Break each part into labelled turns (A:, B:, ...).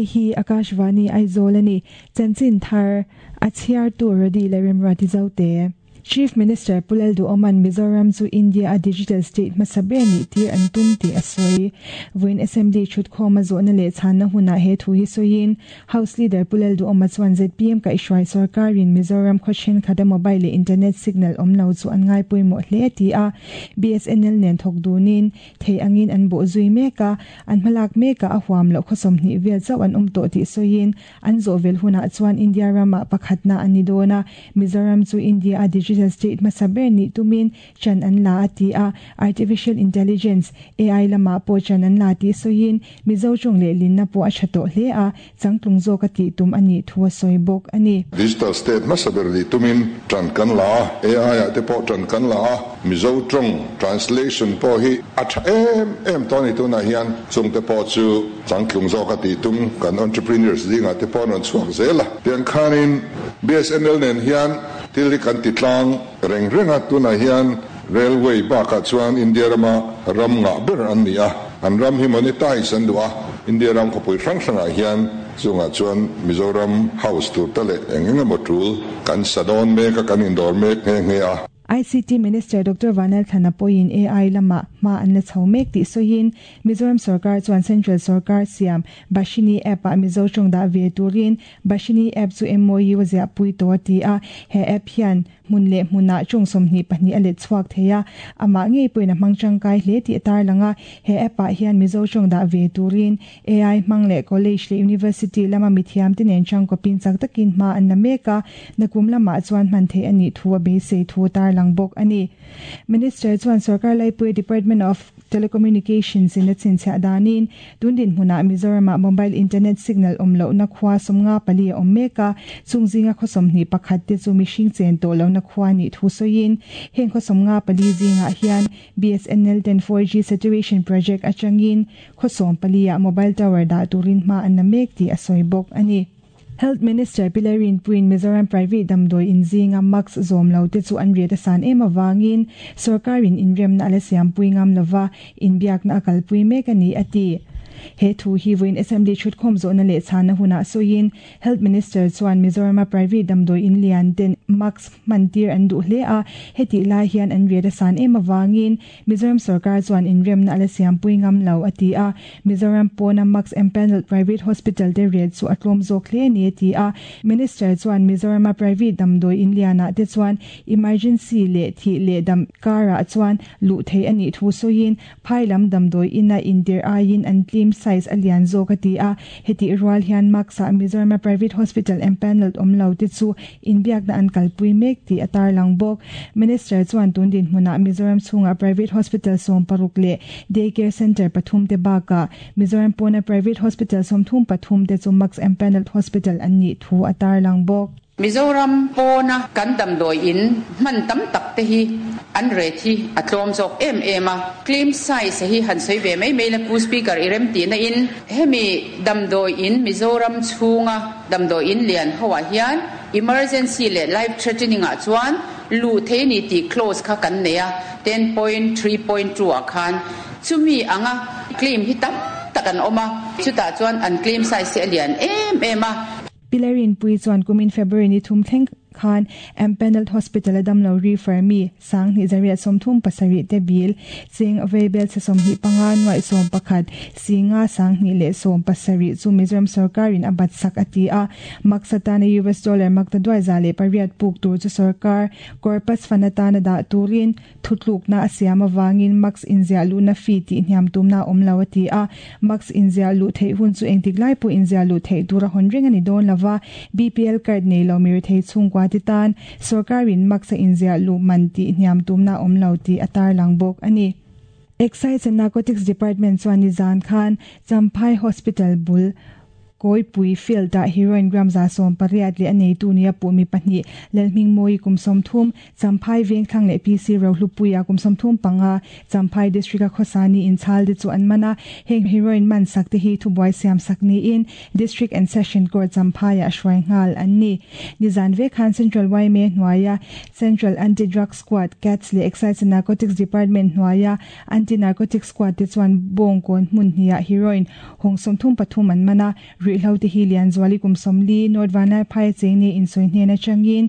A: Hei hi Akashvani Aizawl a ni. Chanchin thar a chhiartu Rody leh Remruati Zote. Chief Minister Pu Lalduhoma'n Mizoram chu India a digital state hmasa ber nih tir an tum tih a sawi. Vawiin Assembly thutkhawm a zawhna leh chhanna hunah he thu hi sawiin House Leader Pu Lalduhoma chuan zpm kaihhruai sorkarin Mizoram khaw thenkhat a mobile leh internet signal awm lo chu an ngai pawimawh hle a ti a. BSNL nen thawk dunin thei angin an bawh zui mek a, an hmalak mekah a huam loh khaw 20 vel chauh an awm tawh tih sawiin An zawh vel hunah chuan India ramah pakhatna a ni dawn a, Mizoram chu India-a digital state hmasa ber nih tumin chan an la a ti a, Artificial Intelligence, AI, lamah pawh chan an la tih sawiin Mizo tawng leh linna pawh a tha tawh hle a, changtlung zawk a tih tum a nih thu a sawi bawk a ni.
B: Digital state hmasa ber nih tumin chan kan la a, AI-ah te pawh chan kan la a, Mizo tawng translation pawh hi a tha em em tawh a ni tunah hian, chungte pawh chu Changtlung zawk a tih tum kan entrepreneurs zingah te pawh an rawn chhuak zel a. Tiang khanin BSNL nen hian thil hi kan ti tlang reng reng a, tunah hian railway bakah chuan India rama ram ngah ber an ni a, an ram hi monetize an duh a, India ram khawpui hrang hrangah hian chungah chuan Mizoram house tur te leh eng eng emaw tul kan sa dawn mek a, kan indawr mek nghe nghe a.
A: ICT Minister Doctor Vanel Thlana pawhin AI lamah hma an la chho mek tih sawiin, Mizoram sorkar chuan Central sorkar siam Bhashini app-ah Mizo tawng dah ve turin Bhashini app chu MOU a ziahpui tawh a ti a, he app hian hmun leh hmunah tawng 22 a let chhuak thei a, amah ngei pawhin a hmang tangkai hle tih a tarlang a, he app-ah hian Mizo tawng dah ve turin AI hmang leh college leh university lama mithiamte nen changkawpin chak takin hma an la mek a, nakum lamah chuan hman theih a nih thu a beisei thu a tarlang bawk a ni. Minister chuan sorkar laipui Department of Telecommunications in a chhinchhiah danin tun dinhmunah Mizoramah mobile internet signal awm lohna khua 54 a awm mek a, chung zinga khaw 21 te chu mihring chen tawh lohna khua nih thu sawiin heng khaw 54 zingah hian BSNL ten 4G saturation project atangin Khaw 14 ah mobile tower dah turin hma an la mek tih a sawi bawk a ni. Health Minister Pi Lalrinpuiin Mizoram Private damdawi in zinga mask zawm lo te chu an riat a san em avangin sorkarin inremna a la siampui ngam lova, inbiakna a kalpui mek a ni a ti. He thu hi vawiin Assembly thutkhawm zawhna leh chhanna hunah sawiin Health Minister chuan Mizorama private damdawi in lian ten mask hman tir an duh hle a, hetih lai hian an riat a san em avangin Mizoram sorkar chuan inremna a la siampui ngam lo, a ti a. Mizoram pawna Max Empanelled Private Hospital te rate chu a tlawm zawk hle a ni, a ti a. Minister chuan Mizorama private damdawi in lianah te chuan emergency leh thih leh dam karah chuan luh theih a nih thu sawiin phai lam damdawi ina intirh aiin an tlim size a lian zawk, a ti a. Hetih rual hian Max-ah Mizorama private hospital empanelled awm lo te chu Inbiakna an kalpui mek tih a tarlang bawk. Minister chuan tun dinhmunah Mizoram chhungah private hospital 16 leh day care centre pathum te bakah Mizoram pawna private hospital 33 te chu Max Empanelled Hospital an nih thu a tarlang bawk.
C: Mizoram pawna kan damdawi in hman tam tak te hi an rate hi a tlawm zawk em em a, claim size hi han sawi ve mai mai la Pu Speaker i rem tihna in hemi damdawi in Mizoram chhunga Damdawi in lian ho ah hian emergency leh life threatening ah chuan luh thei a ni tih clause kha kan nei a, 10.3.2 ah khan. Chumi anga claim hi tam tak an awm a, chutah chuan an claim size hi a lian em em a.
A: Pi Lalrinpuii chuan kumin February ni thum thleng khan Empanelled Hospital a damlo refer mi 2837 te bil, cheng vaibel chhe 25 nuaih 11, singa 2017 chu Mizoram sorkarin a bat sak a ti a. Max atana US dollar makta duai 108 puk tur chu sorkar corpus fund atana dah turin Thutlukna a siam avangin Max inziah luhna fee tih hniam tumna a awm lo a ti a. Max inziah luh theih hun chu engtik lai pawh inziah luh theih tura hawn reng a ni dawn lo va, BPL card nei lo mirethei chhungkua te tan sorkarin Max a inziah luh man tih hniam tumna a awm lo tih a tarlang bawk a ni. Excise and Narcotics Department chuan nizan khan Champhai Hospital bul Kawipui field-ah heroin gram 180 leh a neitu nia puh mi pahnih, Lalhmingmawii kum 30, Champhai Vengthlang leh PC Rohlupuia kum 35, Champhai District-a khawsa niin chhalte chu an man a. Heng heroin man sak te hi thubuai siam sak niin District and Session Court Champhaiah hruai nghal an ni. Nizan vek khan Central yma hnuaia Central Anti-Drug Squad, cats, leh Excise and Narcotics Department hnuaia Anti-Narcotic Squad te chuan bawngkawn hmun hniah heroin hawng 33 an man a. Ruihhlo te hi Lianzuali kum 40, North Vanlaiphai cheng nia insawi hnen atangin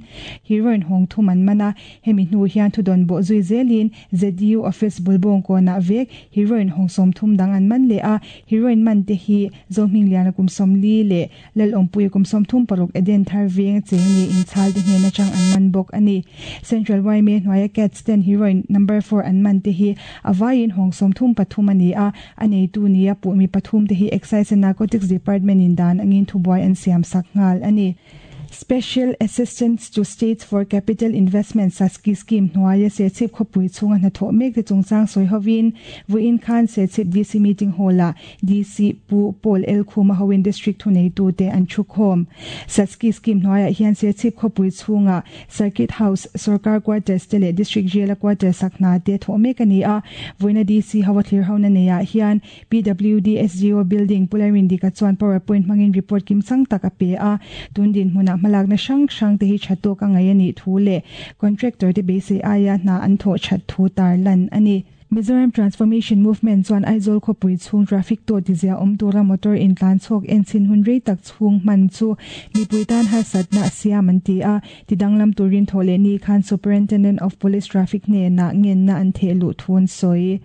A: heroin hawng thum an man a, hemi hnu hian thudawn bawh zui zelin ZDU office bul bawngkawnah vek heroin hawng 30 dang an man leh a, heroin man te hi Zohmingliana kum 40 leh Lalawmpuia kum 36 Eden thar veng cheng nia inchhal te hnen atang an man bawk a ni. Central yma hnuaia Cats ten heroin number 4 an man te hi a vaiin hawng 33 a ni a, a neitu nia puh mi pathum te hi Excise and Narcotics Department in dan angin thubuai an siam sak nghal a ni. Special Assistance to States for Capital Investment, SASCI, scheme hnuaia Serchhip khawpui chhunga hnathawh mek te chungchang sawi hovin vawiin khan Serchhip DC meeting hall-ah DC Pu Paul L Khuma hoin District thuneitute an thu khawm. SASCI scheme hnuaiah hian Serchhip khawpui chhunga Circuit House, Sorkar Quarters te leh District Jail-a quarters sak hna te thawh mek a ni a. Vawiina DC ho a thlir hona neiah hian PWD SGO Building Pu Lalrindika chuan PowerPoint hmangin report kimchang tak a pe a. Tun dinhmunah hmalakna hrang hrang te hi tha tawk a ngaih a nih thu leh contractor te beisei aia hna an thawh that thu tarlan a ni. Mizoram Transformation Movement chuan Aizawl khawpui chhung traffic tawh tizia awm tura motor intlan chhawk enchhin hun rei tak chhung hman chu mipui tan harsatna a siam an ti a. Tidanglam turin thawh leh ni khan Superintendent of Police Traffic hnenah ngenna an theh luh thu an sawi.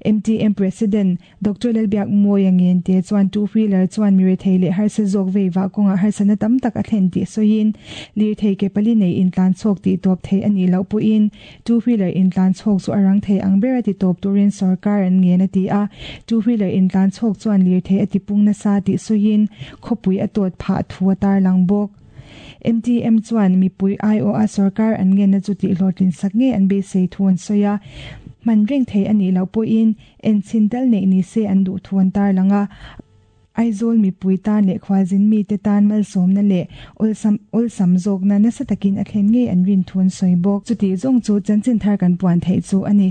A: MTM President Doctor Lalbiakmawia Ngente chuan two wheeler chuan mi rethei leh harsa zawk vei vah kawngah harsatna tam tak a thlen tih sawiin lirthei ke pali nei intlan chhawk tih tawp thei a nih loh pawhin two wheeler intlan chhawk chu a rang thei ang ber a ti tawp turin sorkar an ngen a ti a. Two wheeler intlan chhawk chuan lirthei a ti pung nasa tih sawiin khawpui a tawt phah thu a tarlang bawk. MTM chuan mipui aiawha sorkar an ngenna chu tihhlawhtlin sak ngei an beisei thu an sawi a, hman reng thei a nih loh pawhin enchhin tal neih ni se an duh thu an tarlang a. Aizawl mipui tan leh khualzin mite tan malsawmna leh awlsam awlsam zawkna nasa takin a thlen ngei an rin thu an sawi bawk. Chutih zawng chu chanchin thar kan puan theih chu a ni.